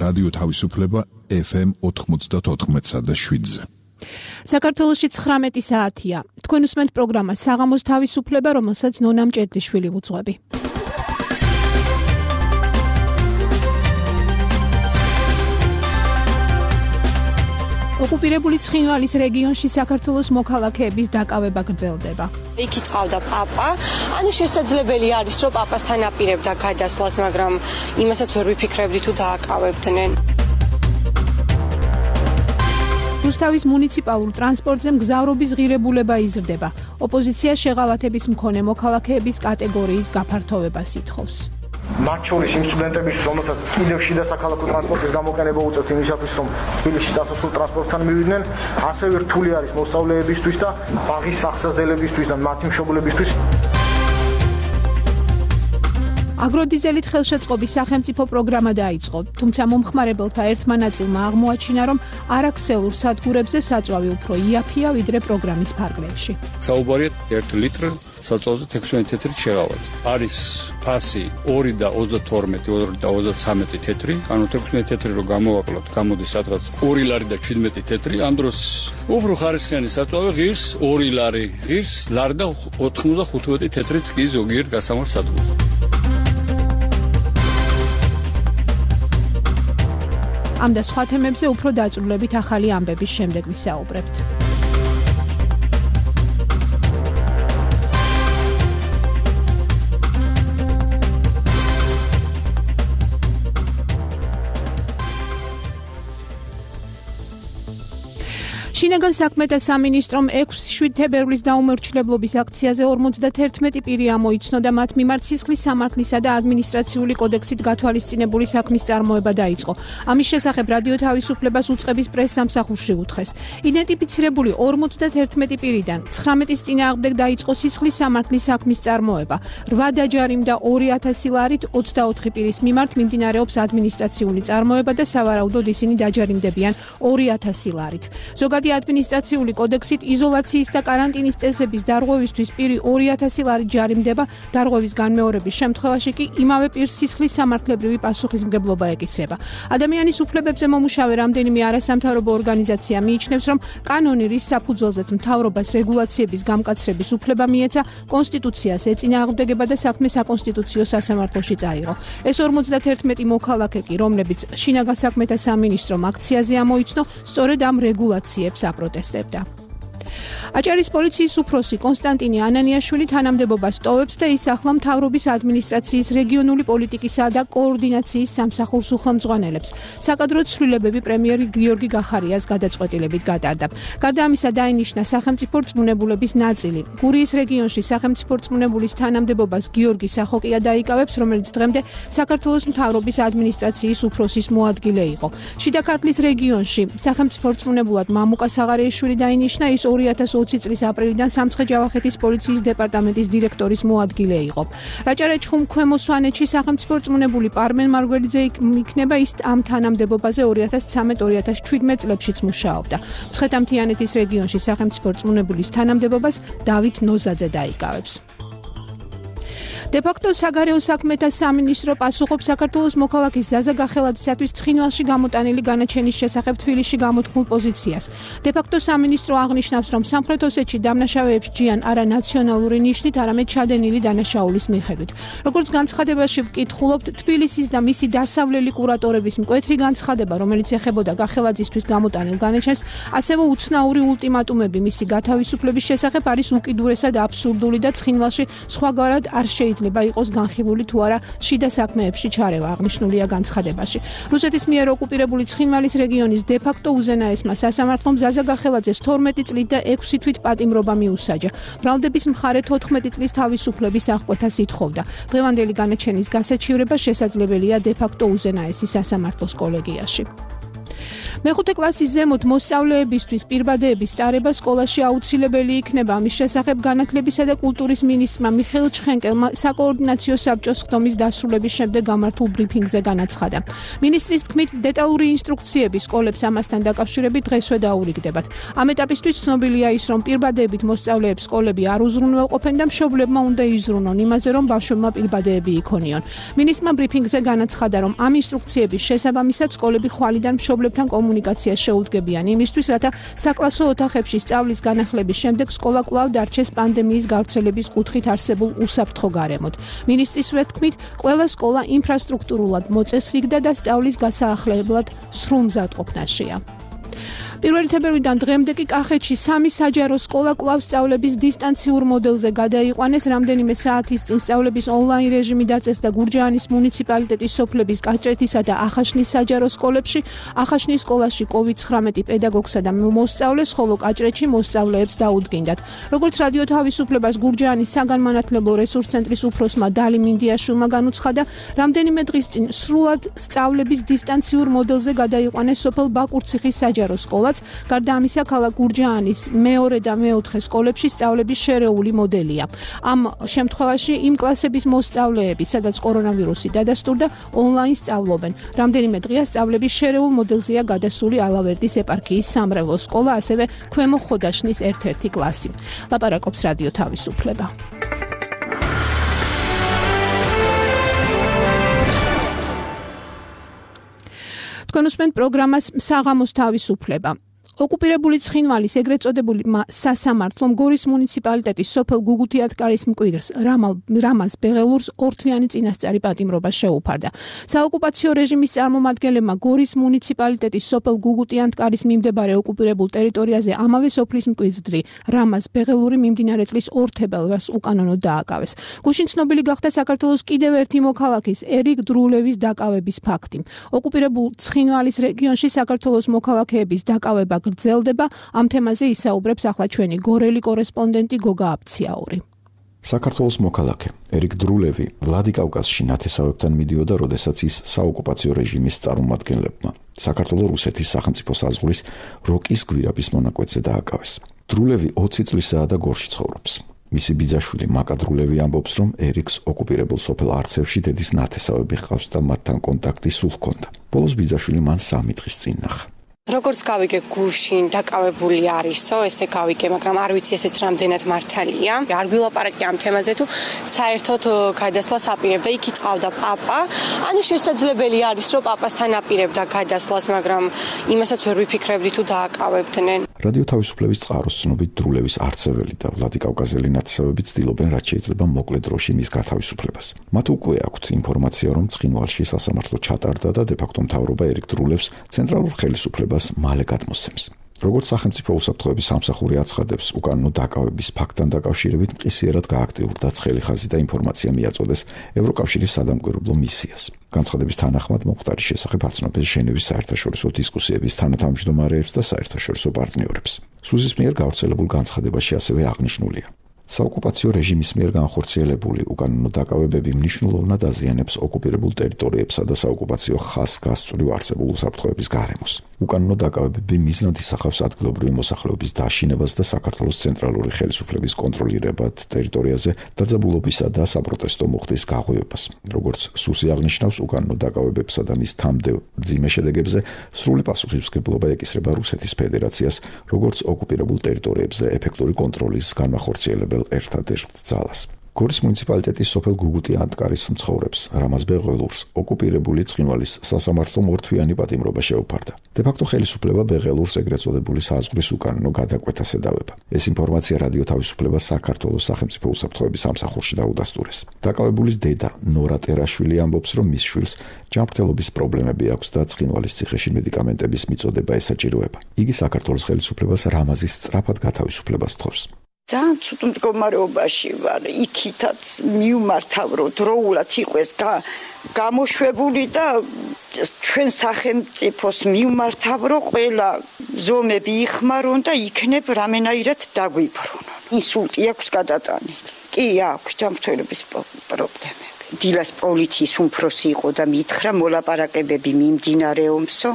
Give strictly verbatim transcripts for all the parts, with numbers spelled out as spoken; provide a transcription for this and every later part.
რადიო თავისუფლება ეფ ემ ოთხმოცდაოთხ და შვიდზე. საქართველოში ცხრამეტი საათია. თქვენ უსმენთ პროგრამას საღამოს თავისუფლება, რომელსაც ნონა მჭედლიშვილი ვუძღვები. ოკუპირებული ცხინვალის რეგიონში საქართველოს მოქალაქეების დაკავება გრძელდება. იქ იწყავდა პაპა, ანუ შესაძლებელი არის, რომ პაპასთან აპირებდა გადასვლას, მაგრამ იმასაც ვერ ვიფიქრებდი თუ დააკავებდნენ. რუსთავის მუნიციპალურ ტრანსპორტზე მგზავრობის ღირებულება იზრდება. ოპოზიცია შეღავათების მქონე მოქალაქეების კატეგორიის გაფართოვებას ითხოვს. მათ შორის იმ სტუდენტებისთვის, რომელთაც კიდევ შიდა საქალაქო ტრანსპორტის გამოყენება უწევთ იმისათვის, რომ თბილისში დასასრულ ტრანსპორტთან მივიდნენ, ასევე რთული არის მოსწავლეებისთვის და ბაღის სახსაზრდელებისთვის და მათი მშობლებისთვის. აგროდიზელით ხელშეწყობის სახელმწიფო პროგრამა დაიწყო, თუმცა მომხმარებელთა ერთმა ნაწილმა აღმოაჩინა, რომ არაქსელურ სადგურებზე საწვავი უფრო იაფია, ვიდრე პროგრამის ფარგლებში. საუბარია ერთი ლიტრი საწვავზე ექვსმეტ თეთრით შეღავათ. არის ფასი ორი და ოცდათორმეტი, ორი და ოცდაცამეტი თეთრი, ანუ ექვსმეტ თეთრი რო გამოვაკლოთ, გამოდის სადღაც ორი ლარი და შვიდმეტი თეთრი, ამ დროს უფრო ხარისხიანი საწვავი ღირს ორი ლარი, ღირს ლარი და ოთხმოცდახუთმეტი თეთრიც კი ზოგიერთ გასამართ სადგურს. ამ და სხვა თემებზე უფრო დაწვრილებით ახალი ამბების შემდეგ ვისაუბრებთ. შინაგან საქმეთა სამინისტრომ ექვსი თებერვლის დაუმორჩილებლობის აქციაზე ორმოცდაერთმეტი პირი ამოიცნო და მათ მიმართ სისხლის სამართლისა და ადმინისტრაციული კოდექსით გათვალისწინებული საქმის წარმოება დაიწყო. ამის შესახებ რადიო თავისუფლებას უწყების პრეს-სამსახურში უთხრეს. იდენტიფიცირებული ორმოცდაერთმეტი პირიდან ცხრამეტის წინააღმდეგ დაიწყო სისხლის სამართლის საქმის წარმოება. რვა დაჯარიმ და ორი ათასი ლარით ოცდაოთხი პირის მიმართ მიმდინარეობს ადმინისტრაციული წარმოება და სავარაუდოდ ისინი დაჯარიმდებიან ორი ათასი ლარით. ზოგადად ადმინისტრაციული კოდექსით იზოლაციის და კარანტინის წესების დარღვევისთვის პირი ორი ათასი ლარი ჯარიმდება, დარღვევის განმეორების შემთხვევაში კი იმავე პირს სისხლის სამართლებრივი პასუხისმგებლობა ეკისრება. ადამიანის უფლებებზე მომუშავე რამდენიმე არასამთავრობო ორგანიზაცია მიიჩნევს, რომ კანონი, რის საფუძველზეც მთავრობას რეგულაციების გამკაცრების უფლება მიეცა, კონსტიტუციას ეწინააღმდეგება და საქმე საკონსტიტუციო სასამართლოში წაიღო. ეს ორმოცდაერთმეტი მოქალაქე კი, რომლებიც შინაგან საქმეთა სამინისტრომ აქციაზე ამოიცნო, სწორედ ამ რეგულაციებს აპროტესტებდა. აჭარის პოლიციის უფროსი კონსტანტინე ანანიაშვილი თანამდებობას ტოვებს და ის ახლა მთავრობის ადმინისტრაციის რეგიონული პოლიტიკისა და კოორდინაციის სამსახურს უხელმძღვანელებს. საკადრო ცვლილებები პრემიერ გიორგი გახარიას გადაწყვეტილებით გატარდა. გარდა ამისა დაინიშნა სახელმწიფო რწმუნებულების ნაწილი. გურიის რეგიონში სახელმწიფო რწმუნებულის თანამდებობას გიორგი სახოკია დაიკავებს, რომელიც დღემდე საქართველოს მთავრობის ადმინისტრაციის უფროსის მოადგილე იყო. შიდა ქართლის რეგიონში სახელმწიფო რწმუნებულად მამუკა საღარეიშვილი დაინიშნა, ის ორი ათას ოცი წლის აპრილიდან სამცხე-ჯავახეთის პოლიციის დეპარტამენტის დირექტორის მოადგილე იყო. რაჭა-რაჭ-ხუმ ქვემო სვანეთში სახელმწიფო რწმუნებული პარმენ მარგველიძე იქნება, ის ამ თანამდებობაზე ორი ათას ცხრამეტ ორი ათას შვიდმეტ წლებშიც მუშაობდა. მცხეთა-მთიანეთის რეგიონში სახელმწიფო რწმუნებულის თანამდებობას დავით ნოზაძე დაიკავებს. დე-ფაქტო საგარეო საქმეთა სამინისტრო პასუხობს საქართველოს მოქალაქის ზაზა გახელაძისათვის ცხინვალში გამოტანილი განაჩენის შესახებ თბილისში გამოთქმულ პოზიციას. დე-ფაქტო სამინისტრო აღნიშნავს, რომ სამხრეთ ოსეთში დამნაშავეებს ჯიან არა ნაციონალური ნიშნით, არამედ ჩადენილი დანაშაულის მიხედვით. როგორც განცხადებაში ვკითხულობთ, თბილისის და მისი დასავლელი კურატორების მკვეთრი განცხადება, რომელიც ეხებოდა გახელაძისთვის გამოტანილ განაჩენს, ასევე უცნაური ულტიმატუმები მისი გათავისუფლების შესახებ არის უკიდურესად აბსურდული და ცხინვალში სხვაგვარად არ შეიძლება იყოს განხილული თუ არა შიდა საქმეებში ჩარევა, აღნიშნულია განცხადებაში. რუსეთის მიერ ოკუპირებული ცხინვალის რეგიონის დე-ფაქტო უზენაესმა სასამართლომ ზაზა გახელაძეს თორმეტი წლით და ექვსი თვით პატიმრობა მიუსაჯა. ბრალდების მხარე თოთხმეტი წლის თავისუფლების აღკვეთას ითხოვდა. დღევანდელი განაჩენის გასაჩივრება შესაძლებელია დე-ფაქტო უზენაესი სასამართლოს კოლეგიაში. მეხუთე კლასის ზემოთ მოსწავლეებისთვის პირბადეების ტარება სკოლაში აუცილებელი იქნება. ამის შესახებ განათლებისა და კულტურის მინისტრმა მიხეილ ჩხენკელმა საკოორდინაციო საბჭოს ხდომის დასრულების შემდეგ გამართულ ბრიფინგზე განაცხადა. მინისტრის თქმით, დეტალური ინსტრუქციები სკოლებს ამასთან დაკავშირებით დღესვე დაურიგდებათ. ამ ეტაპისთვის ცნობილია ის, რომ პირბადეებით მოსწავლეებს სკოლები არ უზრუნველყოფენ და მშობლებმა უნდა იზრუნონ იმაზე, რომ ბავშვებმა პირბადეები იქონიონ. მინისტრმა ბრიფინგზე განაცხადა, რომ ამ ინსტრუქციების შესაბამისად სკოლები ხვალიდან მშობლებთან კომუნიკაციას შეუდგებიან იმისთვის, რათა საკლასო ოთახებში სწავლის განახლების შემდეგ სკოლა კვლავ დარჩეს პანდემიის გავრცელების კუთხით არსებულ უსაფრთხო გარემოდ. მინისტრის ვეთქმით, ყველა სკოლა ინფრასტრუქტურულად მოწესრიგდა და სწავლის გასაახლებლად სრულ მზადყოფნაშია. პირველი თებერვლიდან დღემდე კი კახეთში სამი საჯარო სკოლა კვლავ სწავლების დისტანციურ მოდელზე გადაიყვანეს. რამდენიმე საათის წინ სწავლების ონლაინ რეჟიმი დაწესდა გურჯაანის მუნიციპალიტეტის სოფლების კაჭრეთისა და ახაშნის საჯარო სკოლებში. ახაშნის სკოლაში კოვიდ ცხრამეტი პედაგოგსა და მოსწავლეს, ხოლო კაჭრეთში მოსწავლეებს დაუდგინდათ. როგორც რადიო თავისუფლებას გურჯაანის საგანმანათლებლო რესურს ცენტრის უფროსმა დალი მინდიაშვილმა განუცხადა, რამდენიმე დღის წინ სრულად სწავლების დისტანციურ მოდელზე გადაიყვანეს სოფელ ბაკურციხის საჯარო სკოლა. გარდა ამისა, ქალაქ გურჯაანის მეორე და მეოთხე სკოლებში სწავლების შერეული მოდელია. ამ შემთხვევაში იმ კლასების მოსწავლეები, სადაც კორონავირუსი დადასტურდა, ონლაინ სწავლობენ. რამდენიმე დღეა სწავლების შერეულ მოდელზეა გადასული ალავერდის ეპარქიის სამრევლო სკოლა, ასევე ქვემო ხოდაშნის ერთ-ერთი კლასი. ლაპარაკობს რადიო თავისუფლება. თქვენ უსმენთ პროგრამას საღამოს თავისუფლება. ოკუპირებული ცხინვალის ეგრეთ წოდებული სასამართლომ გორის მუნიციპალიტეტის სოფელ გუგუთიათკარის მკვიდრს რამაზ ბეღელურს ორთვიანი წინასწარი პატიმრობა შეუფარდა. საოკუპაციო რეჟიმის წარმომადგენლებმა გორის მუნიციპალიტეტის სოფელ გუგუთიათკარის მიმდებარე ოკუპირებულ ტერიტორიაზე ამავე სოფლის მკვიდრი რამაზ ბეღელური მიმდინარე წლის ორ თებერვალს უკანონოდ დააკავეს. გუშინ ცნობილი გახდა საქართველოს კიდევ ერთი მოქალაქის ერიკ დრულევის დაკავების ფაქტი. ოკუპირებულ ცხინვალის რეგიონში საქართველოს მოქალაქეების დაკავება გრძელდება. ამ თემაზე ისაუბრებს ახლა ჩვენი გორელი კორესპონდენტი გოგა აფციაური. საქართველოს მოქალაქე ერიკ დრულევი ვლადიკავკაზში ნათესავებთან მიდიოდა, როდესაც ის საოკუპაციო რეჟიმის წარმომადგენლებმა საქართველოს რუსეთის სახელმწიფო საზღვრის როკის გვირაბის მონაკვეთზე დააკავეს. დრულევი ოცი წლისაა და გორში ცხოვრობს. მისი ბიძაშვილი მაკა დრულევი ამბობს, რომ ერიკს ოკუპირებულ სოფელ არცევში დედის ნათესავები ჰყავს და მათთან კონტაქტი სულ ჰქონდა. ბოლოს ბიძაშვილი მან სამი დღის წინ ნახა. როგორც გავიგე, გუშინ დაკავებული არისო, ესე გავიგე, მაგრამ არ ვიცი ესეც რამდენად მართალია. არ გვილაპარაკე ამ თემაზე, თუ საერთოდ გადასვლას აპირებდა, იქ იტყავდა პაპა. ანუ შესაძლებელი არის, რომ პაპასთან აპირებდა გადასვლას, მაგრამ იმასაც ვერ ვიფიქრებდი, თუ დააკავებდნენ. რადიო თავისუფლების წყაროს ცნობით, დრულევის არცეველი და ვლადიკავკაზელი ნათესავები ცდილობენ, რაც შეიძლება მოკლე დროში მის გათავისუფლებას. მათ უკვე აქვთ ინფორმაცია, რომ ცხინვალში სასამართლო ჩატარდა და დე-ფაქტო მთავრობა ერიკ დრულევს ცენტრალურ ხელისუფლებას მალე გადმოსცემს. როგორც სახელმწიფო უსაფრთხოების სამსახური აცხადებს, უკანონო დაკავების ფაქტთან დაკავშირებით მყისიერად გააქტიურდა ცხელი ხაზი და ინფორმაცია მიაწოდეს ევროკავშირის სადამკვირვებლო მისიას. განცხადების თანახმად მომხდარის შესახებ აცნობს ჟენევის საერთაშორისო დისკუსიების თანათავმჯდომარეებს და საერთაშორისო პარტნიორებს. სუზის მიერ გავრცელებულ განცხადებაში ასევე აღნიშნულია: საოკუპაციო რეჟიმის მიერ განხორციელებული უკანონო დაკავებები მნიშვნელოვნად აზიანებს ოკუპირებულ ტერიტორიებსა და საოკუპაციო ხაზს გასწვრივ არსებულ უსაფრთხოების გარემოს. უკანონო დაკავებები მიზნად ისახავს ადგილობრივი მოსახლეობის დაშინებას და საქართველოს ცენტრალური ხელისუფლების კონტროლირებად ტერიტორიაზე დაძაბულობისა და საპროტესტო მუხტის გაღვივებას. როგორც სუსი აღნიშნავს, უკანონო დაკავებებსა და მის თამდევ მძიმე შედეგებზე სრული პასუხისმგებლობა ეკისრება რუსეთის ფედერაციას, როგორც ოკუპირებულ ტერიტორიებზე ეფექტური კონტროლის განმახორციელებელ ერთადერთ ძალას. გორის მუნიციპალიტეტის სოფელ გუგუთიათკარის მცხოვრებს რამაზ ბეღელურს ოკუპირებული ცხინვალის სასამართლომ ორთვიანი პატიმრობა შეუფარდა. დე-ფაქტო ხელისუფლება ბეღელურს ეგრეთ წოდებული საზღვრის უკანონო გადაკვეთას ედავება. ეს ინფორმაცია რადიო თავისუფლებას საქართველოს სახელმწიფო უსაფრთხოების სამსახურში დაუდასტურეს. დაკავებულის დედა ნორა ტერაშვილი ამბობს, რომ მის შვილს ჯანმრთელობის პრობლემები აქვს და ცხინვალის ციხეში მედიკამენტების მიწოდება ესაჭიროება. იგი საქართველოს ხელისუფლებას რამაზის სწრაფად გათავისუფლებას თხოვს. ძალიან ცუდ მდგომარეობაში ვარ, იქითაც მივმართავ, რომ დროულად იყოს გამოშვებული და ჩვენ სახელმწიფოს მივმართავ, რომ ყველა ზომები იხმარონ და იქნებ რამენაირად დაგვიბრუნონ. ინსულტი აქვს გადატანილი. კი აქვს ჯანმრთელობის პრობლემები. დილას პოლიციის უმფროსი იყო და მითხრა მოლაპარაკებები მიმდინარეობსო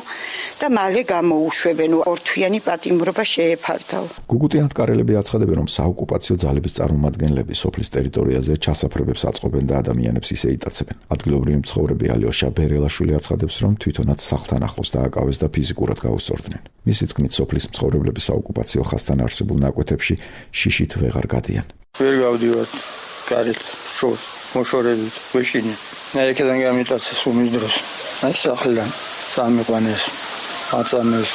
და მალე გამოუშვებენ ორთვიანი პატიმრობა შეეფარდაო. გუგუტი ანტკარელები აცხადებენ, რომ საოკუპაციო ძალების წარმომადგენლები სოფლის ტერიტორიაზე ჩასაფრებებს აწყობენ და ადამიანებს ისე იტაცებენ. ადგილობრივი მცხოვრები ალიოშა ბერელაშვილი აცხადებს, რომ თვითონაც სახლთან ახლოს დააკავეს და ფიზიკურად გაუსწორდნენ. მისი თქმით, სოფლის მცხოვრებლები საოკუპაციო ხაზთან არსებულ ნაკვეთებში შიშით ვეღარ გადიან. ვერ გავდივართ გარეთ შორს მოშორებით ვეშინი. აი ეკიდან გამიტაცეს უმის დროს. აი სახლიდან სამიყვანეს აწამეს.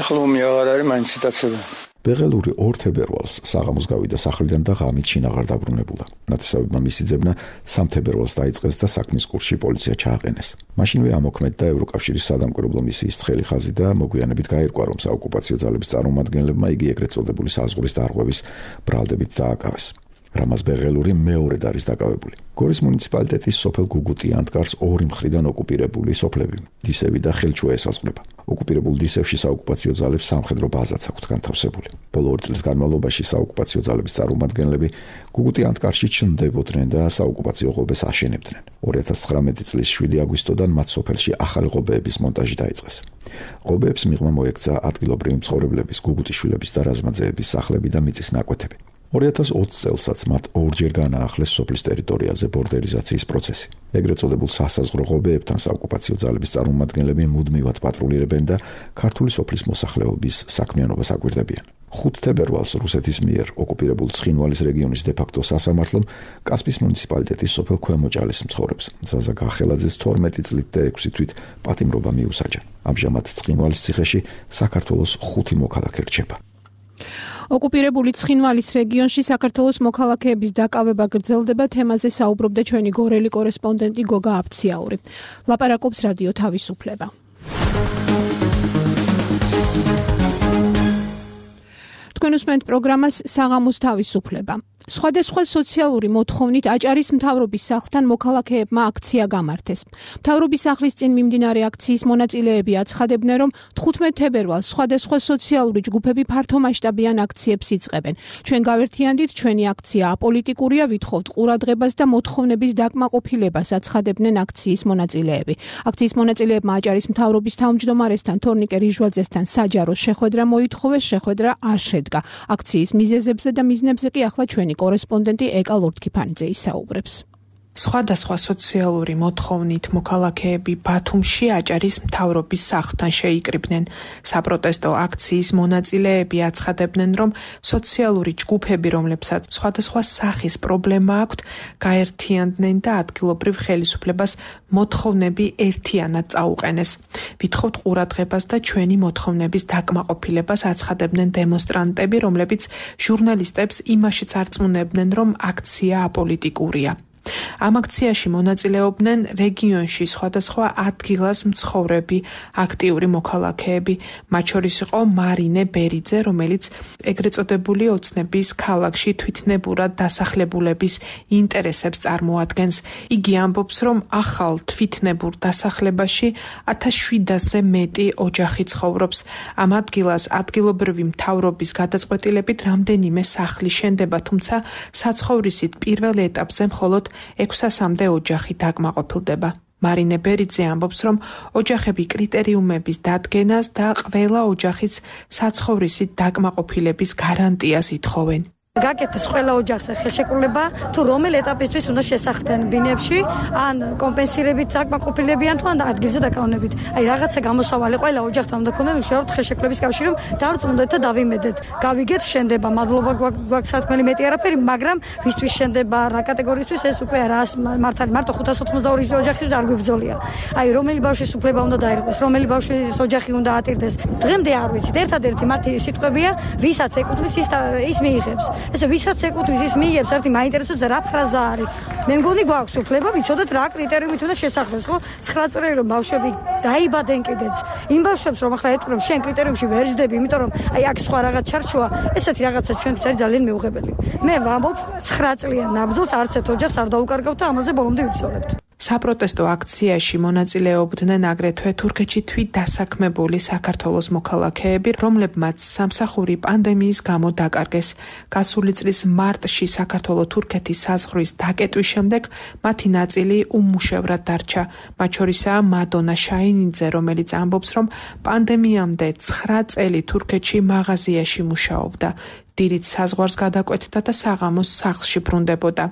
ეხლა უმი აღარ არის მაინც იტაცებენ. ბეღელური ორ თებერვალს საღამოს გავიდა სახლიდან და ღამით შინაღარ დაბრუნებულა. ნათესავებმა მისი ძებნა სამ თებერვალს დაიწყეს და საქმის კურსში პოლიცია ჩააყენეს. მაშინვე ამოქმედდა ევროკავშირის სადამკვირვებლო მისიის ცხელი ხაზი და მოგვიანებით გაირკვა, რომ საოკუპაციო ძალების წარმომადგენლებმა იგი ეგრეთ წოდებული საზღვრის დარღვევის ბრალდებით დააკავეს. რამაზ ბეღელური მეორედ არის დაკავებული. გორის მუნიციპალიტეტის სოფელ გუგუტი ანტკარს ორი მხრიდან ოკუპირებული სოფლები, დისევი და ხელჩუა ესაზღვრება. ოკუპირებულ დისევში საოკუპაციო ძალებს სამხედრო ბაზაც აქვთ განთავსებული. ბოლო ორი წლის განმავლობაში საოკუპაციო ძალების წარმომადგენლები გუგუტი ანტკარში ჩნდებოდნენ და საოკუპაციო ღობეს აშენებდნენ. ორი ათას ცხრამეტი წლის შვიდი აგვისტოდან მათ სოფელში ახალი ღობეების მონტაჟი დაიწყეს. ღობეებს მიღმა მოექცა ადგილობრივი მცხოვრებლების, გუგუტიშვილების და რაზმაძეების სახლები და მიწის ნაკვეთები. ორი ათას ოცი წელსაც მათ ორჯერ განაახლეს სოფლის ტერიტორიაზე ბორდერიზაციის პროცესი. ეგრეთ წოდებულ სასაზღვრო ღობეებთან საოკუპაციო ძალების წარმომადგენლები მუდმივად პატრულირებენ და ქართული სოფლის მოსახლეობის საქმიანობას აკვირდებიან. ხუთი თებერვალს რუსეთის მიერ ოკუპირებულ ცხინვალის რეგიონის დე-ფაქტო სასამართლომ კასპის მუნიციპალიტეტის სოფელ ქვემოჭალის მცხოვრებს ზაზა გახელაძეს თორმეტი წლით და ექვსი თვით პატიმრობა მიუსაჯა. ამჟამად ცხინვალის ციხეში საქართველოს ხუთი მოქალაქე რჩება. ოკუპირებული ცხინვალის რეგიონში საქართველოს მოქალაქეების დაკავება გრძელდება. თემაზე საუბრობდა ჩვენი გორელი კორესპონდენტი გოგა აფციაური. ლაპარაკობს რადიო თავისუფლება. თქვენ უსმენთ პროგრამას საღამოს თავისუფლება. სხვადასხვა სოციალური მოთხოვნით აჭარის მთავრობის სახლთან მოქალაქეებმა აქცია გამართეს. მთავრობის სახლის წინ მიმდინარე აქციის მონაწილეები აცხადებდნენ, რომ თხუთმეტ თებერვალს სხვადასხვა სოციალური ჯგუფები ფართომასშტაბიან აქციებს იწყებენ. ჩვენ გავერთიანდით, ჩვენი აქცია აპოლიტიკურია, ვითხოვთ ყურადღებას და მოთხოვნების დაკმაყოფილებას, აცხადებდნენ აქციის მონაწილეები. აქციის მონაწილეებმა აჭარის მთავრობის თავმჯდომარესთან თორნიკე რიჟვაძესთან საჯარო შეხვედრა მოითხოვეს, შეხვედრა არ შედგა. აქციის მიზეზებზე და მიზნებზე კი ახლა ჩვენი კორესპონდენტი ეკა ლორთქიფანიძე ისაუბრებს. სხვადასხვა სოციალური მოთხოვნით მოქალაქეები ბათუმში აჭარის მთავრობის სახლთან შეიკრიბნენ. საპროტესტო აქციის მონაწილეები აცხადებდნენ, რომ სოციალური ჯგუფები, რომლებსაც სხვადასხვა სახის პრობლემა აქვთ, გაერთიანდნენ და ადგილობრივ ხელისუფლებას მოთხოვნები ერთიანად წაუყენეს. ვითხოვთ ყურადღებას და ჩვენი მოთხოვნების დაკმაყოფილებას, აცხადებდნენ დემონსტრანტები, რომლებიც ჟურნალისტებს იმაშიც არწმუნებდნენ, რომ აქცია აპოლიტიკურია. ამ აქციაში მონაწილეობდნენ რეგიონში სხვადასხვა ადგილას მცხოვრები აქტიური მოქალაქეები, მათ შორის იყო მარინე ბერიძე, რომელიც ეგრეთ წოდებული ოცნების ქალაქში თვითნებურად დასახლებულების ინტერესებს წარმოადგენს. იგი ამბობს, რომ ახალ თვითნებურ დასახლებაში ათას შვიდასზე მეტი ოჯახი ცხოვრობს. ამ ადგილას ადგილობრივი მთავრობის გადაწყვეტილებით რამდენიმე სახლი შენდება, თუმცა საცხოვრისით პირველ ეტაპზე მხოლოდ ექვსასამდე ოჯახი დაკმაყოფილდება. მარინე ბერიძე ამბობს, რომ ოჯახები კრიტერიუმების დადგენას და ყველა ოჯახის საცხოვრისით დაკმაყოფილების გარანტიას ითხოვენ. გაკეთეს ყველა ოჯახს ხელშეკრულება, თუ რომელ ეტაპისთვის უნდა შესახდნენ ბინებში, ან კომპენსირებით დაკმაყოფილებიან თუ ან ადგილზე დაკავებით. აი რაღაცა გამოსავალი ყველა ოჯახთან უნდა ქონდეს უშუალოდ ხელშეკრულების კავშირი, რომ დავწმუნდეთ და დავიმედეთ. გავიგეთ შენდება, მადლობა გვაქვს სათქმელი მეტი არაფერი, მაგრამ ვისთვის შენდება, რა კატეგორიისთვის ეს უკვე არა მართალი, მარტო ხუთას ოთხმოცდაორი ოჯახისთვის არ გვიბრძოლია. აი რომელი ბავშვის უფლება უნდა დაირღვეს, რომელი ბავშვის ოჯახი უნდა ატირდეს. დღემდე არ ვიცით, ერთადერთი მათი სიტყვებია, ვისაც ეკუთვნის ის ის მიიღებს. ესე ვისაც ეკუთვნის ის მიიღებს, ერთი მაინტერესებს რა ფრაზა არის. მე მგონი გვაქვს უფლება ვიცოდეთ რა კრიტერიუმით უნდა შესახდეს, ხო? ცხრა წელი რომ ბავშვები დაიბადნენ კიდეც. იმ ბავშვებს რომ ახლა ეთქვი რომ შენ კრიტერიუმში ვერ ჯდები, იმიტომ რომ აი აქ სხვა რაღაც ჩარჩოა, ესეთი რაღაცა ჩვენთვის არის ძალიან მეუღებელი. მე ვამბობ ცხრა წლიან ნაბრძოლს არც ერთ ოჯახს არ დაუკარგავთ და ამაზე ბოლომდე ვიცოლებთ. საპროტესტო აქციაში მონაწილეობდნენ აგრეთვე თურქეთში თვით დასაქმებული საქართველოს მოქალაქეები, რომლებმაც სამსახური პანდემიის გამო დაკარგეს. გასული წლის მარტში საქართველო-თურქეთის საზღვრის დაკეტვის შემდეგ მათი ნაწილი უმუშევრად დარჩა. მათ შორისაა მადონა შაინიძე, რომელიც ამბობს, რომ პანდემიამდე ცხრა წელი თურქეთში მაღაზიაში მუშაობდა. დილით საზღვარს გადაკვეთდა და საღამოს სახლში ბრუნდებოდა.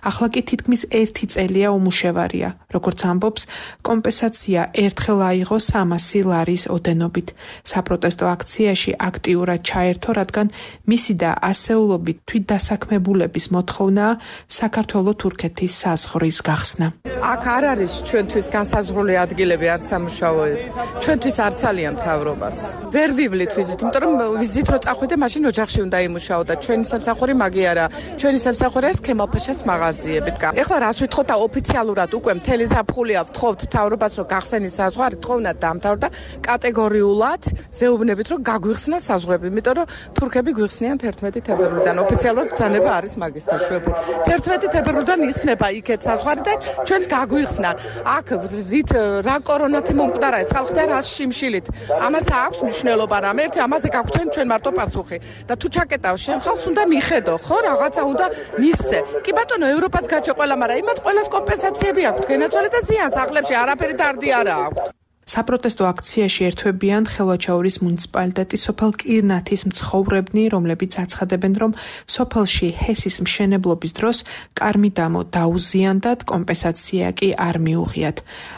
ახლა კი თითქმის ერთი წელია უმუშევარია. როგორც ამბობს, კომპენსაცია ერთხელ აიღო სამასი ლარის ოდენობით. საპროტესტო აქციაში აქტიურად ჩაერთო, რადგან მისი და ასეულობით თვითდასაქმებულების მოთხოვნაა საქართველო-თურქეთის საზღვრის გახსნა. აქ არ არის ჩვენთვის განსაზღვრული ადგილები, არ სამუშაოები. ჩვენთვის არ ძალიან მთავრობას. ვერ ვივლით ვიზით, იმიტომ რომ ვიზით რო წახვიდე, მაშინ ოჯახში უნდა იმუშაო და ჩვენი სამსახური მაგი არა. ჩვენი სამსახური არის ქემალ-ფაშას მაღაზიებით. ეხლა რას ვითხოვთ და ოფიციალურად უკვე მთელი ზაფხულია ვთხოვთ მთავრობას, რომ გახსენის საზღვარი, თხოვნა დაამთავრდა კატეგორიულად, ვეუბნებით, რომ გაგვიხსნა საზღვრები, იმიტომ რომ თურქები გვიხსნიან თერთმეტი თებერვლიდან. ოფიციალურად ბრძანება არის მაგის დაშვებული. თერთმეტი თებერვლიდან იხსნება იქეთ საზღვარი და ჩვენც გაგვიხსნან. აქ რით რა კორონათი მომკვდარა ეს ხალხი და რა შიმშილით. ამას აქვს მნიშვნელობა რამე, ერთი ამაზე გაგვცენ ჩვენ მარტო პასუხი. და თუ ჩაკეტავ შენ ხალხს უნდა მიხედო, ხო, რაღაცა უნდა მისცე. კი ბატონო, ევროპაც გაჩო ყველა, მაგრამ იმათ ყველას კომპენსაციები აქვს. გენაცვალე და ზიანს სახლებში არაფერი დარდი არა აქვს. საპროტესტო აქციაში ერთვებიან ხელვაჩაურის მუნიციპალიტეტის სოფელ კირნათის მცხოვრებნი, რომლებიც აცხადებენ, რომ სოფელში ჰესის მშენებლობის დროს კარმიდამო დაუზიანდათ, კომპენსაცია კი არ მიუღიათ.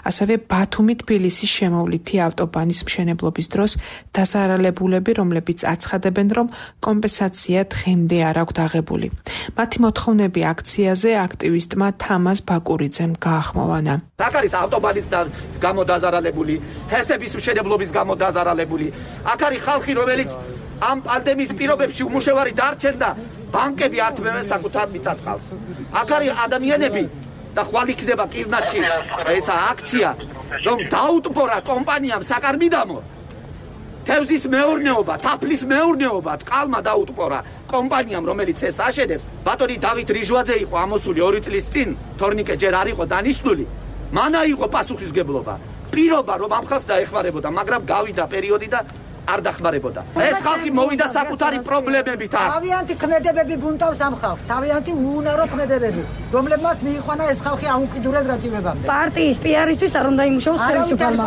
ასევე ბათუმი-თბილისის შემოვლითი ავტობანის მშენებლობის დროს დაზარალებულები, რომლებიც აცხადებენ, რომ კომპენსაცია დღემდე არ აქვთ აღებული. მათი მოთხოვნები აქციაზე აქტივისტმა თამაზ ბაკურიძემ გაახმოვანა. აქ არის ავტობანის გამო დაზარალებული, ჰესების მშენებლობის გამო დაზარალებული. აქ არის ხალხი, რომელიც ამ პანდემიის პირობებში უმუშევარი დარჩენდა, ბანკები ართმევენ საკუთარ მიწა-წყალს. აქ არის ადამიანები და ხვალ იქნება კირნათში ესა აქცია, რომ დაუტბორა კომპანიამ საკარმიდამო თევზის მეურნეობა, თაფლის მეურნეობა, წყალმა დაუტბორა კომპანიამ, რომელიც ეს აშენებს. ბატონი დავით რიჟვაძე იყო ამოსული ორი წლის წინ, თორნიკე ჯერ არ იყო დანიშნული. მან აიღო პასუხისმგებლობა. პირობა რომ ამ ხალხს დაეხმარებოდა, მაგრამ გავიდა პერიოდი და არ დახმარებოდა. ეს ხალხი მოვიდა საკუთარი პრობლემებით. თავიანთი ქმედებები ბუნტავს ამ ხალხს, თავიანთი უუნარო ქმედებები, რომლებმაც მიიყვანა ეს ხალხი ამ უკიდურეს გაძივებამდე. პარტიის პიარისთვის არ უნდა იმუშაოს ხელისუფლება.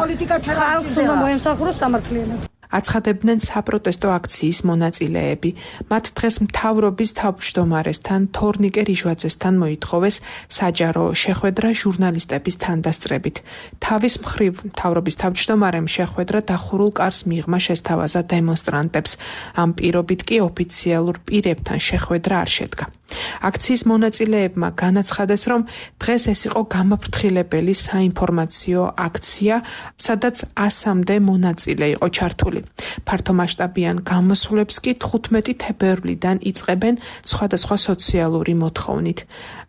ხალხს უნდა მოემსახუროს სამართლიანად. აცხადებდნენ საპროტესტო აქციის მონაწილეები. მათ დღეს მთავრობის თავმჯდომარესთან თორნიკე რიჟვაძესთან მოითხოვეს საჯარო შეხვედრა ჟურნალისტების თანდასწრებით. თავის მხრივ მთავრობის თავმჯდომარემ შეხვედრა დახურულ კარს მიღმა შესთავაზა დემონსტრანტებს. ამ პირობით კი ოფიციალურ პირებთან შეხვედრა არ შედგა. აქციის მონაწილეებმა განაცხადეს, რომ დღეს ეს იყო გამაფრთხილებელი საინფორმაციო აქცია, სადაც ასამდე მონაწილე იყო ჩართული. ფართომასშტაბიან გამოსვლებს კი თხუთმეტი თებერვლიდან იწყებენ სხვადასხვა სოციალური მოთხოვნით.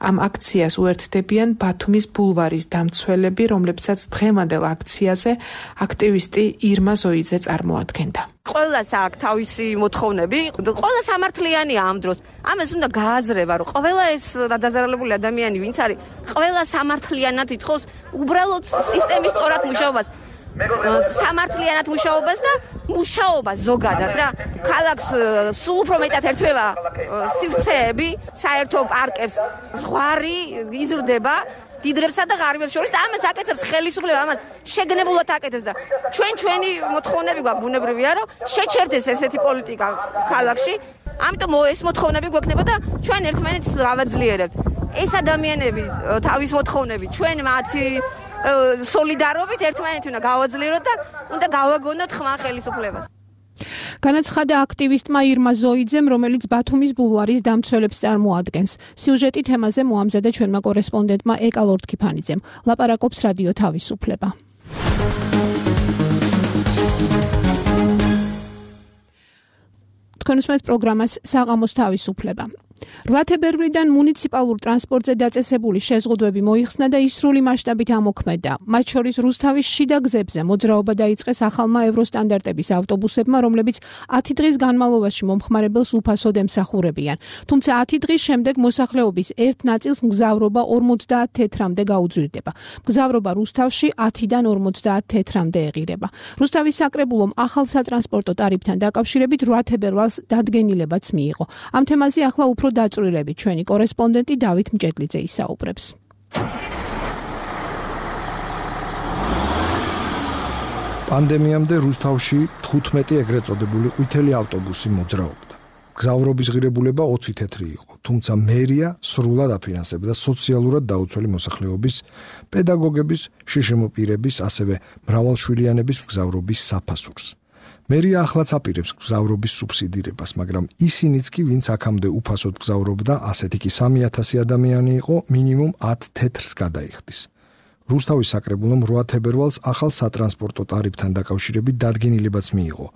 ამ აქციას უერთდებიან ბათუმის ბულვარის დამცველები, რომლებსაც დღევანდელ აქციაზე აქტივისტი ირმა ზოიძე წარმოადგენდა. ყველას აქვს თავისი მოთხოვნები, ყველა სამართლიანია ამ დროს. ამას უნდა გააზრება, რომ ყველა ეს დაზარალებული ადამიანი, ვინც არის, ყველა სამართლიანად ითხოვს უბრალოდ სისტემის სწორად მუშაობას. სამართლიანად მუშაობას და მუშაობას ზოგადად რა. ქალაქს სულ უფრო მეტად ერთვება სივრცეები, საერთო პარკებს, ზღვარი იზრდება დიდრებსა და ღარიბებს შორის და ამას აკეთებს ხელისუფლება, ამას შეგნებულად აკეთებს და ჩვენ ჩვენი მოთხოვნები გვაქვს, ბუნებრივია რომ შეჩერდეს ესეთი პოლიტიკა ქალაქში. ამიტომ ეს მოთხოვნები გვექნება და ჩვენ ერთმანეთს გავაძლიერებთ. ეს ადამიანები თავის მოთხოვნები ჩვენ მათი სოლიდარობით ერთმანეთი უნდა გავაძლიეროთ და უნდა გავაგონოთ ხმა ხელისუფლებას. განაცხადა აქტივისტმა ირმა ზოიძემ, რომელიც ბათუმის ბულვარის დამცველებს წარმოადგენს. სიუჟეტი თემაზე მოამზადა ჩვენმა კორესპონდენტმა ეკა ლორდ-ქიფანიძემ. ლაპარაკობს რადიო თავისუფლება. თქვენ უსმენთ პროგრამას საღამოს თავისუფლება. რვა თებერვლიდან მუნიციპალურ ტრანსპორტზე დაწესებული შეზღუდვები მოიხსნა და ის სრული მასშტაბით ამოქმედა. მათ შორის რუსთავის შიდა გზებზე მოძრაობა დაიწყეს ახალმა ევროსტანდარტების ავტობუსებმა, რომლებიც ათი დღის განმავლობაში მომხმარებელს უფასოდ ემსახურებიან. თუმცა ათი დღის შემდეგ მოსახლეობის ერთ ნაწილს მგზავრობა ორმოცდაათ თეთრამდე გაუძვირდება. მგზავრობა რუსთავში ათიდან ორმოცდაათ თეთრამდე ეღირება. რუსთავის საკრებულომ ახალ სატრანსპორტო ტარიფთან დაკავშირებით რვა თებერვალს დადგენილებაც მიიღო. ამ თემაზე ახლა უფრო დაწვრილებით ჩვენი კორესპონდენტი დავით მჭედლიძე ისაუბრებს. პანდემიამდე რუსთავში თხუთმეტი ეგრეთ წოდებული ყვითელი ავტობუსი მოძრაობდა. გზავრობის ღირებულება ოცი თეთრი იყო, თუმცა მერია სრულად აფინანსებდა სოციალურად დაუცველი მოსახლეობის, პედაგოგების, შშმ პირების, ასევე მრავალშვილიანების მგზავრობის საფასურს. მერია ახლაც აპირებს გზავრობის სუბსიდირებას, მაგრამ ისინიც კი, ვინც აქამდე უფასოდ გზავრობდა, ასეთი კი სამი ათასი ადამიანი იყო, მინიმუმ ათ თეთრს გადაიხდის. რუსთავის საკრებულომ რვა თებერვალს ახალ სატრანსპორტო ტარიფთან დაკავშირებით დადგენილებაც მიიღო.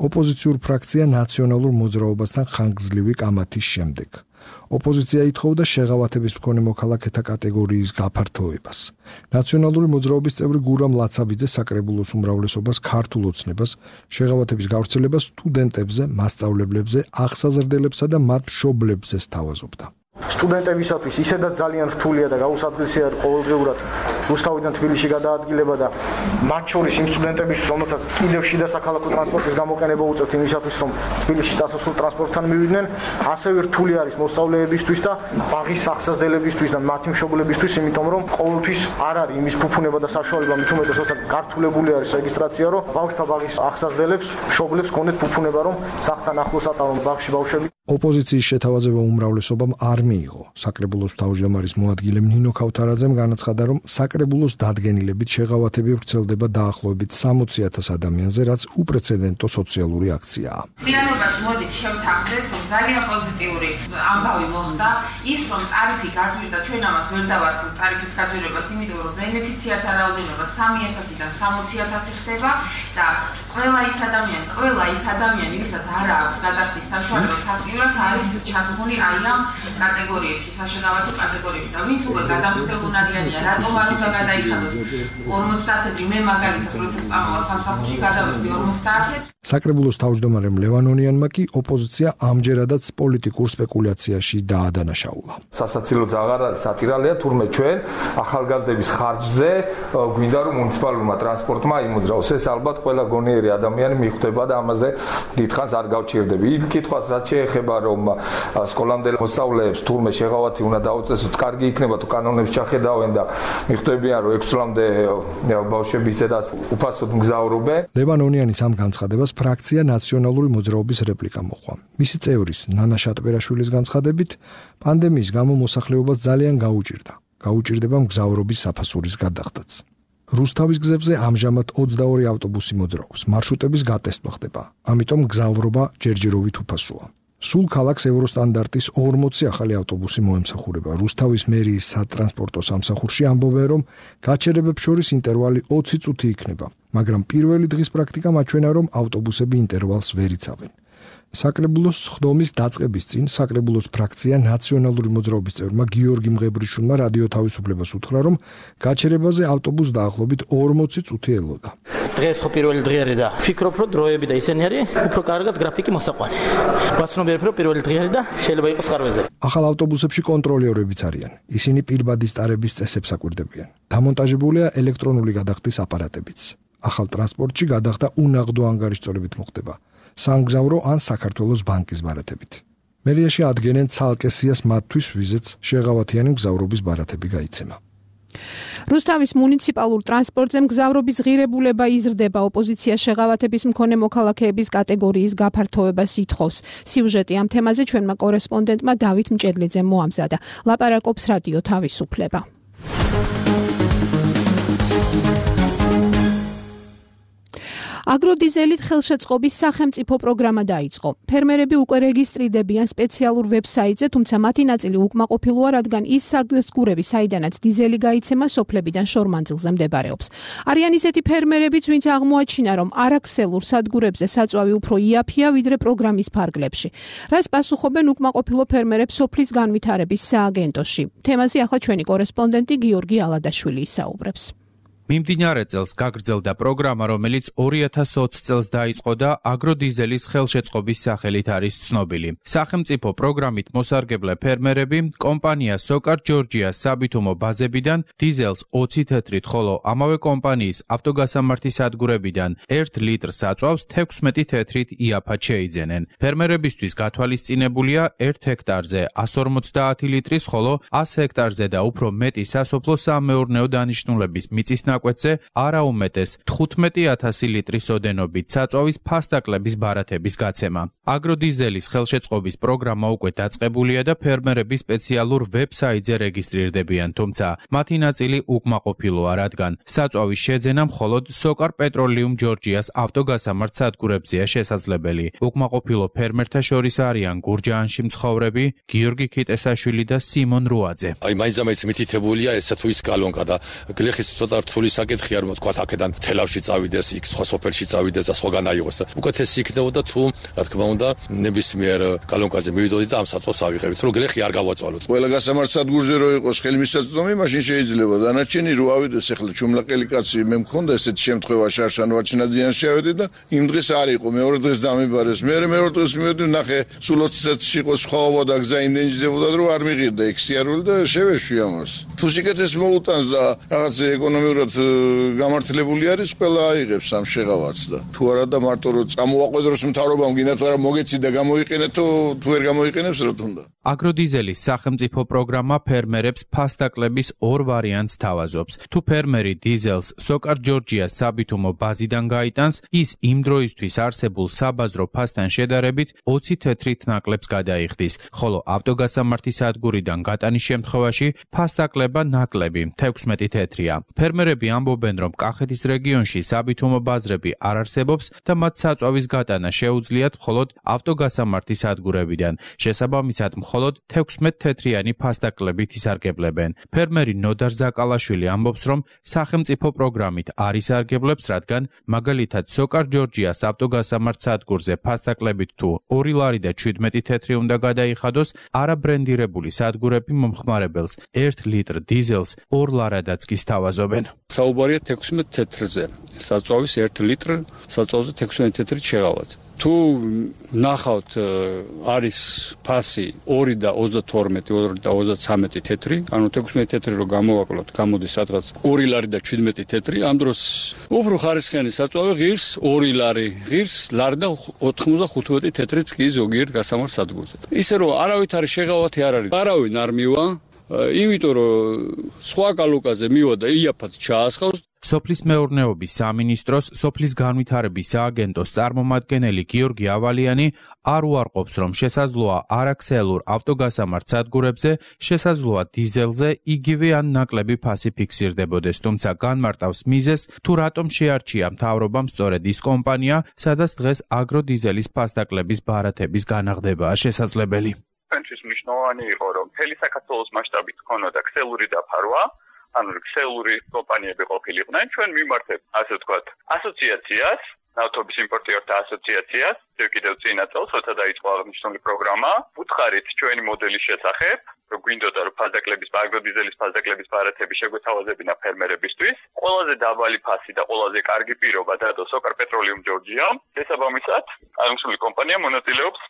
ოპოზიციურ ფრაქცია ნაციონალურ მოძრაობასთან ხანგრძლივი კამათის შემდეგ. ოპოზიცია ითხოვდა შეღავათების მქონე მოქალაქეთა კატეგორიის გაფართოებას. ნაციონალური მოძრაობის წევრი გურამ ლაცაბიძე საკრებულოს უმრავლესობას ქართულ ოცნებას, შეღავათების გავრცელებას სტუდენტებზე, მასწავლებლებზე, აღსაზრდელებსა და მათ მშობლებზე სთავაზობდა. სტუდენტებისათვის ისედაც ძალიან რთულია და გაუსაძლისია ყოველდღიურად რუსთავიდან თბილისში გადაადგილება და მათ შორის იმ სტუდენტებისთვის, რომელსაც კიდევ შიდა საქალაქო ტრანსპორტის გამოყენება უწევთ იმისათვის, რომ თბილისში წასასვლელ ტრანსპორტთან მივიდნენ, ასევე რთული არის მოსწავლეებისთვის და ბაღის აღსაზრდელებისთვის და მათი მშობლებისთვის, იმიტომ რომ ყოველთვის არ არის იმის ფუფუნება და საშუალება, მით უმეტეს, როცა გართულებული არის რეგისტრაცია, რომ ბავშვთა ბაღის აღსაზრდელებს, მშობლებს გქონდეთ ფუფუნება, რომ სახლთან ახლოს ატარონ ბაღში ბავშვები. ოპოზიციის შეთავაზება უმრავლესობამ არ მიიღო. საკრებულოს თავმჯდომარის მოადგილე ნინო ქავთარაძემ განაცხადა, რომ საკრებულოს დადგენილებით შეღავათები ვრცელდება დაახლოებით სამოცი ათას ადამიანზე, რაც უპრეცედენტო სოციალური აქციაა. რეალობაში მოდით შევთანხმდეთ, რომ ძალიან პოზიტიური ამბავი მოხდა ის, რომ ტარიფი გაძვირდა, ჩვენ ამას ვერ დავარქვით ტარიფის გაძვირებას, იმიტომ რომ ბენეფიციართა რაოდენობა სამი ათასიდან სამოცი ათასი ხდება და ყველა ის ადამიანი, ყველა ის ადამიანი, ვისაც არ აქვს გადახდის საშუალება ფაქტიურად არის ჩასმული აი ამ კატეგორიებში, საშინაოთო კატეგორიებში და ვინც უკვე გადამხდელუნარიანია, რატომ არ უნდა გადაიხადოს ორმოცდაათი, მე მაგალითად როცა წამოვალ სამსახურში გადავედი ორმოცდაათი. საკრებულოს თავმჯდომარემ ლევანონიანმა კი ოპოზიცია ამჯერადაც პოლიტიკურ სპეკულაციაში დაადანაშაულა. სასაცილო აღარ არის სატირალია, თურმე ჩვენ ახალგაზრდების ხარჯზე გვინდა რომ მუნიციპალურმა ტრანსპორტმა იმოძრაოს. ეს ალბათ ყველა გონიერი ადამიანი მიხვდება და ამაზე დიდხანს არ გავჩერდები. იმ კითხვას რაც შეეხება რომ სკოლამდელ მოსწავლეებს თურმე შეღავათი უნდა დაუწესოთ, კარგი იქნება თუ კანონებს ჩახედავენ და მიხვდებიან რომ ექვს წლამდე ბავშვები ისედაც უფასოდ მგზავრობენ. ლევანონიანის ამ განცხადებას ფრაქცია ნაციონალური მოძრაობის რეპლიკა მოყვა. მისი წევრის ნანა შატბერაშვილის განცხადებით, პანდემიის გამო მოსახლეობას ძალიან გაუჭირდა. გაუჭირდება მგზავრობის საფასურის გადახდაც. რუსთავის გზებზე ამჟამად ოცდაორი ავტობუსი მოძრაობს. მარშრუტების გატესტვა ხდება. ამიტომ მგზავრობა ჯერჯერობით უფასოა. სულ ქალაქს ევროსტანდარტის ორმოცი ახალი ავტობუსი მოემსახურება. რუსთავის მერიის სატრანსპორტო სამსახურში ამბობენ, რომ გაჩერებებს შორის ინტერვალი ოცი წუთი იქნება, მაგრამ პირველი დღის პრაქტიკა მაჩვენა, რომ ავტობუსები ინტერვალს ვერ იცავენ. საკრებულოს სხდომის დაწყების წინ საკრებულოს ფრაქცია ნაციონალური მოძრაობის წევრმა გიორგი მღებრიშვილმა რადიო თავისუფლებას უთხრა, რომ გაჩერებაზე ავტობუსს დაახლოებით ორმოცი წუთი ელოდა. დღეს ხო პირველი დღე და ვფიქრობ, რომ დროები და ისინი არის უფრო კარგად გრაფიკი მოსაყვანი. ვაცნობიერებ, რომ პირველი დღე და შეიძლება იყოს ხარვეზე. ახალ ავტობუსებში კონტროლერებიც არიან. ისინი პირბადის ტარების წესებს აკვირდებიან. დამონტაჟებულია ელექტრონული გადახდის აპარატებიც. ახალ ტრანსპორტში გადახდა უნაღდო ანგარიშწორებით მოხდება. სამგზავრო ან საქართველოს ბანკის ბარათებით. მერიაში ადგენენ ცალკე სიას მათთვის, ვიზეც შეღავათიანი მგზავრობის ბარათები გაიცემა. რუსთავის მუნიციპალურ ტრანსპორტზე მგზავრობის ღირებულება იზრდება. ოპოზიცია შეღავათების მქონე მოქალაქეების კატეგორიის გაფართოებას ითხოვს. სიუჟეტი ამ თემაზე ჩვენმა კორესპონდენტმა დავით მჭედლიძემ მოამზადა. ლაპარაკობს რადიო თავისუფლება. აგროდიზელით ხელშეწყობის სახელმწიფო პროგრამა დაიწყო. ფერმერები უკვე რეგისტრირდებიან სპეციალურ ვებსაიტზე, თუმცა მათი ნაწილი უკმაყოფილოა, რადგან ის სადგურები, საიდანაც დიზელი გაიცემა, სოფლებიდან შორმანძილზე მდებარეობს. არიან ისეთი ფერმერებიც, ვინც აღმოაჩინა, რომ არაქსელურ სადგურებზე საწვავი უფრო იაფია, ვიდრე პროგრამის ფარგლებში. რას პასუხობენ უკმაყოფილო ფერმერებს სოფლის განვითარების სააგენტოში? თემაზე ახლა ჩვენი კორესპონდენტი გიორგი ალადაშვილი ისაუბრებს. მიმდინარე წელს გაგრძელდა პროგრამა, რომელიც ორი ათას ოცი წელს დაიწყო და აგროდიზელის ხელშეწყობის სახელით არის ცნობილი. სახელმწიფო პროგრამით მოსარგებლე ფერმერები კომპანია სოკარ ჯორჯიას საბითუმო ბაზებიდან დიზელს ოცი თეთრით, ხოლო ამავე კომპანიის ავტოგასამართი სადგურებიდან ერთ ლიტრს აწვავს თექვსმეტი თეთრით იაფად შეიძენენ. ფერმერებისთვის გათვალისწინებულია ერთ ჰექტარზე εκατს ორმოცდაათი ლიტრის, ხოლო ას ჰექტარზე და უფრო მეტი სასოფლო-სამეურნეო დანიშნულების მიწის კვეთზე არაუმეტეს თხუთმეტი ათასი ლიტრის ოდენობით საწვავის ფასდაკლების ბარათების გაცემა. აგროდიზელის ხელშეწყობის პროგრამა უკვე დაწყებულია და ფერმერები სპეციალურ ვებსაიტზე რეგისტრირდებიან, თუმცა მათი ნაწილი უკმაყოფილოა, რადგან საწვავის შეძენა მხოლოდ სოკარ პეტროლიუმ ჯორჯიას ავტოგასამართ სადგურებზეა შესაძლებელი. უკმაყოფილო ფერმერთა შორის არიან გურჯაანში მცხოვრები გიორგი ქიტესაშვილი და სიმონ რუაძე. აი მაინც-მაინც მითითებულია ესა თუ ის კალონკა და გლეხის ცოტა რთული საკითხი არ მოთქვა აქედან თელავში წავიდეს, იქ სხვა სოფელში წავიდეს და სხვაგან აიღოს. უკეთესი იქნებოდა თუ რა თქმა უნდა ნებისმიერ კალონკაზე მივიდოდი და ამ საწვავს ავიღებთ, რომ გლეხი არ გავაწვალოთ. ყველა გასამართ სადგურზე რო იყოს ხელმისაწვდომი, მაშინ შეიძლება დანარჩენი რო ავიდეს, ახლა ჩუმლაყელი კაცი მე მქონდა ესეთი შემთხვევა შარშან ვაჩინაძიანში ავედი და იმ დღეს არ იყო, მეორე დღეს დამიბარეს. მე მეორე დღეს მივედი, ნახე სულ ოცი წუთში იყო სხვაობა და გზა იმდენიდებოდა, რომ არ მიღირდა ეგ სიარული და შევეშვი ამას. თუ სიკეთეს მოუტანს და რაღაც ეკონომიურად გამართლებული არის, ყველა აიღებს ამ შეღავარს და თუ არა და მარტო რომ წამოაყვედროს მთავრობამ გინდათ არა მოგეცი და გამოიყენეთო, თუ ვერ გამოიყენებს რა თქმა უნდა. აგროდიზელის სახელმწიფო პროგრამა ფერმერებს ფასდაკლების ორ ვარიანტს თავაზობს. თუ ფერმერი დიზელს სოკარ ჯორჯიას საბითუმო ბაზიდან გაიტანს, ის იმ დროისთვის არსებულ საბაზრო ფასთან შედარებით ოცი თეთრით ნაკლებს გადაიხდის, ხოლო ავტოგასამართი სადგურიდან გატანის შემთხვევაში ფასდაკლება ნაკლები თექვსმეტი თეთრია. ფერმერები ამბობენ, რომ კახეთის რეგიონში საბითუმო ბაზრები არ არსებობს და მათ საწვავის გატანა შეუძლიათ მხოლოდ ავტოგასამართი სადგურებიდან. შესაბამისად, მხოლოდ თექვსმეტ თეთრიანი ფასდაკლებით ისარგებლებენ. ფერმერი ნოდარ ზაკალაშვილი ამბობს, რომ სახელმწიფო პროგრამით არ ისარგებლებს, რადგან მაგალითად სოკარ ჯორჯიას ავტოგასამართ სადგურზე ფასდაკლებით თუ ორი ლარი და შვიდმეტი თეთრი უნდა გადაიხადოს, არაბრენდირებული სადგურები მომხმარებელს ერთ ლიტრ დიზელს ორ ლარადაც კი სთავაზობენ. საუბარია თექვსმეტ თეთრზე. საწვავის ერთ ლიტრი საწვავზე თექვსმეტი თეთრით შეღავაც. თუ ნახავთ არის ფასი ორი და ოცდათორმეტი, ორი და ოცდაცამეტი თეთრი, ანუ თექვსმეტი თეთრი რო გამოვაკლოთ, გამოდის სადღაც ორი ლარი და შვიდმეტი თეთრი, ამ დროს უფრო ხარისხიანი საწვავი ღირს ორი ლარი, ღირს ლარი და ოთხმოცდახუთმეტი თეთრიც კი ზოგიერთ გასამართ სადგურზე. ისე რომ არავითარი შეღავათი არ არის. არავინ არ მივა, იმიტომ რომ სხვა კალუკაზე მივა და იაფად ჩაასხავს. სოფლის მეურნეობის სამინისტროს სოფლის განვითარების სააგენტოს წარმომადგენელი გიორგი ავალიანი არ უარყოფს, რომ შესაძლოა არაქსელურ ავტოგასამართ სადგურებზე შესაძლოა დიზელზე იგივე ან ნაკლები ფასი ფიქსირდებოდეს, თუმცა განმარტავს მიზეზს, თუ რატომ შეარჩია მთავრობამ სწორედ ის კომპანია, სადაც დღეს აგროდიზელის ფასდაკლების ბარათების განაღდებაა შესაძლებელი. ჩვენთვის მნიშვნელოვანი იყო, რომ მთელი საქართველოს მასშტაბით ქონოდა ქსელური დაფარვა, ანუ ქსელური კომპანიები ყოფილიყვნენ, ჩვენ მიმართებ, ასე ვთქვათ, ასოციაციას, ნავთობის იმპორტიორთა ასოციაციას, კიდევ წინა წელს, როცა დაიწყო აღნიშნული პროგრამა, უთხარით ჩვენი მოდელის შესახებ, რომ გვინდოდა რომ ფასდაკლების, აგროდიზელის ფასდაკლების ბარათები შეგვეთავაზებინა ფერმერებისთვის, ყველაზე დაბალი ფასი და ყველაზე კარგი პირობა დადო სოკარ პეტროლიუმ ჯორჯიამ, შესაბამისად, აღნიშნული კომპანია მონაწილეობს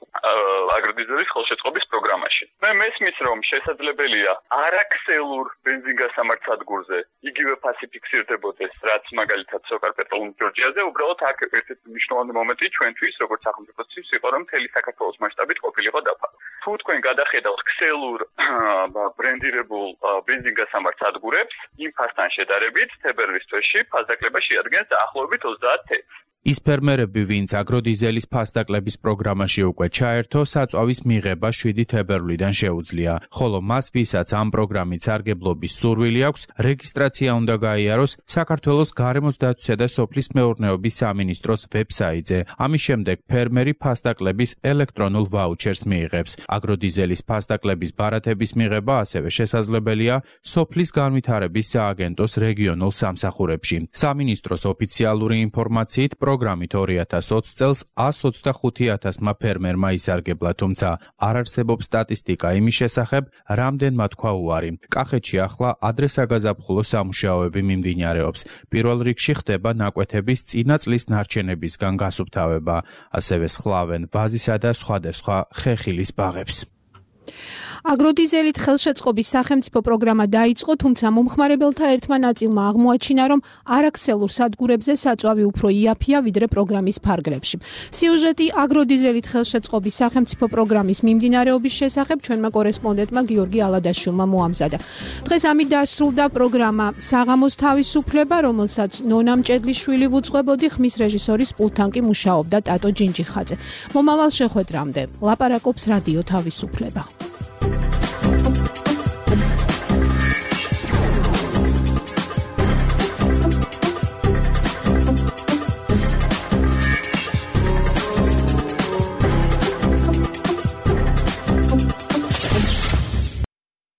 აგროდიზელის ხელშეწყობის პროგრამაში. მე მესმის, რომ შესაძლებელია არაქსელურ ბენზინგასამართ სადგურზე იგივე ფასი ფიქსირდებოდეს, რაც მაგალითად სოკარ პეტროლიუმ ჯორჯიაზე, უბრალოდ აქ ერთ-ერთი მნიშვნელოვანი მომენტი ჩვენთვის, როგორც სახელმწიფოსთვის იყო, რომ მთელი საქართველოს მასშტაბით ყოფილიყო დაფარვა. თუ თქვენ გადახედავთ ქსელურ ბრენდირებულ ბენზინგასამართ სადგურებს, იმ ფასთან შედარებით თებერვლის თვეში ფასდაკლება შეადგენს დაახლოებით ოცდაათ თეთრს. ის ფერმერები, ვინც აგროდიზელის ფასდაკლების პროგრამაში უკვე ჩაერთო, საწვავის მიღება შვიდი თებერვლიდან შეუძლია, ხოლო მას, ვისაც ამ პროგრამით სარგებლობის სურვილი აქვს, რეგისტრაცია უნდა გაიაროს საქართველოს გარემოს დაცვისა და სოფლის მეურნეობის სამინისტროს ვებსაიტზე. ამის შემდეგ ფერმერი ფასდაკლების ელექტრონულ ვაუჩერს მიიღებს. აგროდიზელის ფასდაკლების ბარათების მიღება ასევე შესაძლებელია სოფლის განვითარების სააგენტოს რეგიონულ სამსახურებში. სამინისტროს ოფიციალური ინფორმაციით პროგრამით ორი ათას ოცი წელს ას ოცდახუთი ათასმა ფერმერმა ისარგებლა, თუმცა არ არსებობს სტატისტიკა იმის შესახებ, რამდენმა თქვა უარი. კახეთში ახლა ადრესაგაზაფხულო სამუშაოები მიმდინარეობს. პირველ რიგში ხდება ნაკვეთების წინა წლის ნარჩენებისგან გასუფთავება, ასევე სხლავენ ვაზისა და სხვადასხვა ხეხილის ბაღებს. აგროდიზელით ხელშეწყობის სახელმწიფო პროგრამა დაიწყო, თუმცა მომხმარებელთა ერთმა ნაწილმა აღმოაჩინა, რომ არაქსელურ სადგურებზე საწვავი უფრო იაფია, ვიდრე პროგრამის ფარგლებში. სიუჟეტი აგროდიზელით ხელშეწყობის სახელმწიფო პროგრამის მიმდინარეობის შესახებ ჩვენმა კორესპონდენტმა გიორგი ალადაშვილმა მოამზადა. დღეს ამით დასრულდა პროგრამა საღამოს თავისუფლება, რომელსაც ნონა მჭედლიშვილი ვუძღვებოდი, ხმის რეჟისორის პულტთან კი მუშაობდა ტატო ჯინჯიხაძე. მომავალ შეხვედრამდე ლაპარაკობს რადიო თავისუფლება.